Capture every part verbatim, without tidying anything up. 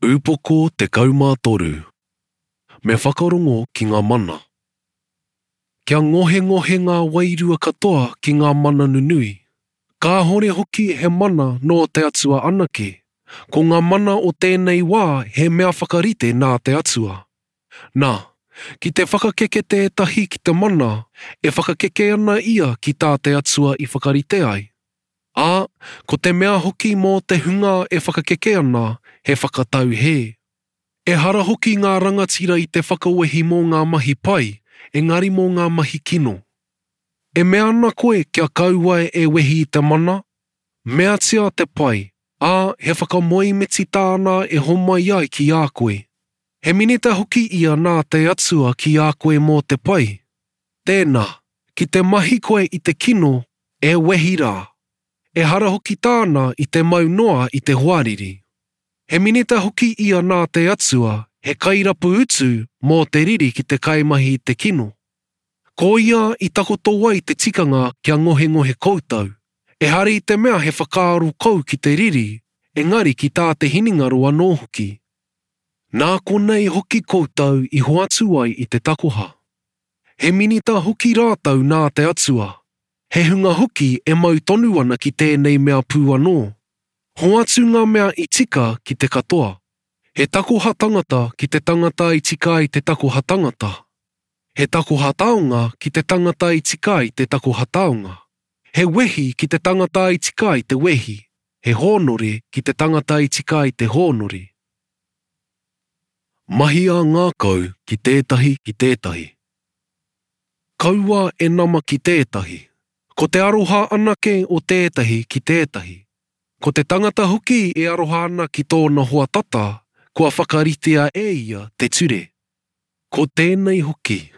Upoko tekau mā toru. Me whakarongo ki ngā mana. Kia ngohengohe ngā wairua katoa ki ngā mana nunui. Kāhore hoki he mana nō te Atua anake. Ko ngā mana o tēnei wā he mea whakarite nā te Atua. Nā, ki te whakakeke tētahi ki te mana, e whakakeke ana ia ki tā te Atua i whakarite ai. Ā, ko te mea hoki mō te hunga e whakakeke ana, he whakatau hē. Ehara hoki ngā rangatira i te whakawehi mō ngā mahi pai, engari mō ngā mahi kino. E mea ana koe kia kaua e wehi i te mana? Meatia te pai, ā, he whakamoemiti tāna e homai ai ki a koe. He minita hoki ia nā te Atua ki a koe mō te pai. Tēnā, ki te mahi koe i te kino, e wehi rā. Ehara hoki tāna i te mau noa i te hoariri. He minita hoki ia nā te Atua, he kairapu utu mō te riri ki te kaimahi i te kino. Ko ia i takoto ai te tikanga kia ngohengohe koutou. Ehara i te mea he whakaaro kou ki te riri, engari ki tā te hinengaro anō hoki. Nā konei hoki koutou i hoatu ai i te takoha. He minita hoki rātou nā te Atua. He hunga hoki e mau tonu ana ki tēnei mea pū anō. Hoatu ngā mea i tika ki te katoa. He takoha tangata ki te tangata i tika ai te takoha tangata. He takoha taonga ki te tangata i tika ai te takoha taonga. He wehi ki te tangata i tika ai te wehi. He hōnore ki te tangata i tika ai te hōnore. Mahi ā ngākau ki tētahi ki tētahi. Kaua e nama ki tētahi. Ko te aroha anake o tētahi ki tētahi. Ko te tangata hoki e aroha ana ki tōna hoa tata, kua whakaritea e ia te ture. Ko tēnei hoki,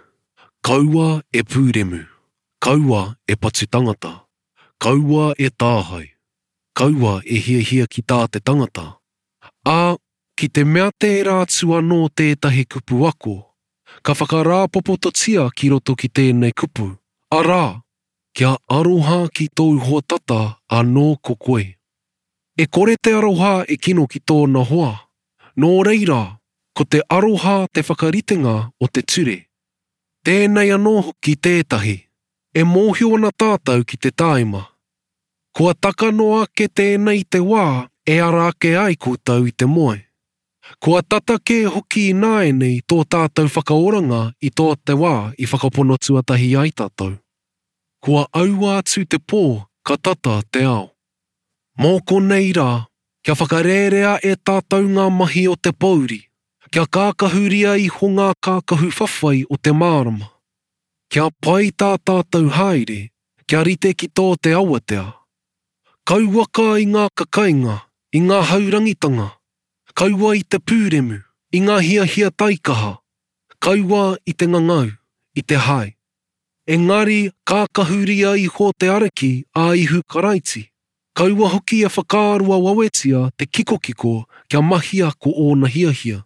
kaua e pūremu, kaua e patu tangata, kaua e tāhae, kaua e hiahia ki tā te tangata. Ā, ki te mea tērā atu anō tētahi kupu ako, ka whakarāpopototia ki roto ki tēnei kupu, arā, kia aroha ki tōu hoa tata anō ko koe. E kore te aroha e kino ki tōna hoa. Nō reira, ko te aroha te whakaritenga o te ture. Tēnei anō hoki tētahi, e mōhio ana tātou ki te tāima. Kua taka noa ake tēnei te wā e ara ake ai koutou i te moe. Kua tata kē hoki ināianei tō tātou whakaoranga i tō te wā i whakapono tuatahi ai tātou. Kua aua atu te pō, ka tata te ao. Mō konei rā, kia whakarērea e tātou ngā mahi o te pōuri, kia kākahuria iho ngā kākahu whawhai o te mārama. Kia pai tā tātou haere, kia rite ki tō te awatea. Kauaka i ngā kakainga, i ngā haurangitanga, kaua i te pūremu, i ngā hiahia taikaha, kaua i te ngangau, i te hae. Engari kākahuria iho te Ariki a Ihu Karaiti. Kaua hoki e whakaaroa wawetia te kikokiko kia mahia ko ōna hiahia.